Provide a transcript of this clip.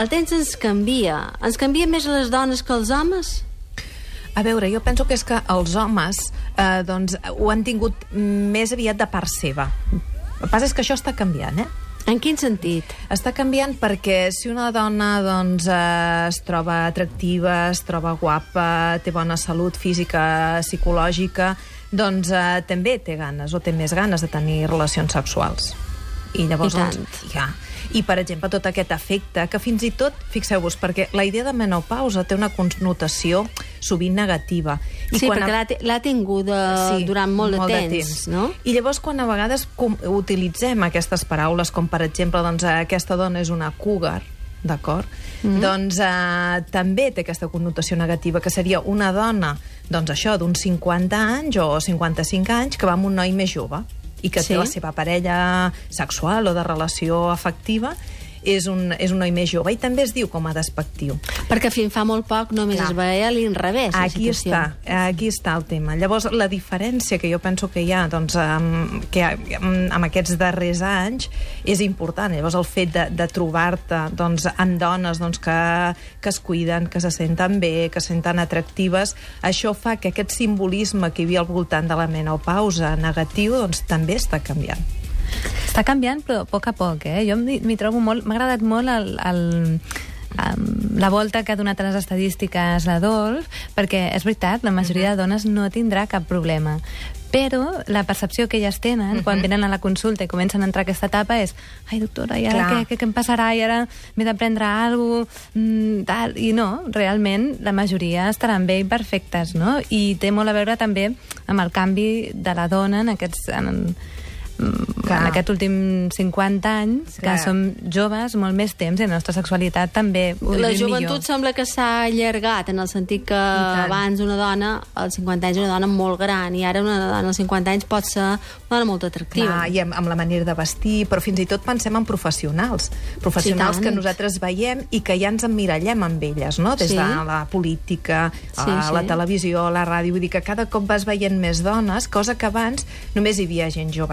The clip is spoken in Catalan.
El temps ens canvia més a les dones que als homes? A veure, jo penso que és que els homes ho han tingut més aviat de part seva. El que passa és que això està canviant, En quin sentit? Està canviant perquè si una dona es troba atractiva, es troba guapa, té bona salut física, psicològica, també té ganes o té més ganes de tenir relacions sexuals. I llavors, I, per exemple, tot aquest efecte, que fins i tot, fixeu-vos, perquè la idea de menopausa té una connotació sovint negativa. Perquè l'ha tingut durant molt de temps, no? I llavors, quan a vegades utilitzem aquestes paraules, com per exemple, aquesta dona és una cougar, d'acord? També té aquesta connotació negativa, que seria una dona, d'uns 50 anys o 55 anys, que va amb un noi més jove i que té la seva parella sexual o de relació afectiva, és un noi més jove, i també es diu com a despectiu. Perquè fins fa molt poc només es veia a l'inrevés, la situació. Aquí està el tema. Llavors, la diferència que jo penso que hi ha amb aquests darrers anys és important. Llavors, el fet de trobar-te amb dones que es cuiden, que se senten bé, que se senten atractives, això fa que aquest simbolisme que hi havia al voltant de la menopausa negatiu també està canviant. Està canviant, però a poc a poc, Jo m'hi trobo molt... M'ha agradat molt la volta que ha donat a les estadístiques l'Adolf, perquè és veritat, la majoria de dones no tindrà cap problema. Però la percepció que elles tenen quan venen a la consulta i comencen a entrar a aquesta etapa és: ai, doctora, i ara què em passarà? I ara m'he de prendre alguna cosa? I no, realment la majoria estaran bé i perfectes, no? I té molt a veure també amb el canvi de la dona en aquests últims 50 anys, que som joves molt més temps i la nostra sexualitat també ho vivim millor. La joventut sembla que s'ha allargat, en el sentit que abans una dona, als 50 anys, una dona molt gran, i ara una dona als 50 anys pot ser una dona molt atractiva. I amb la manera de vestir, però fins i tot pensem en professionals que nosaltres veiem i que ja ens emmirallem amb elles, no? Des de la política, la televisió, la ràdio, vull dir que cada cop vas veient més dones, cosa que abans només hi havia gent jove.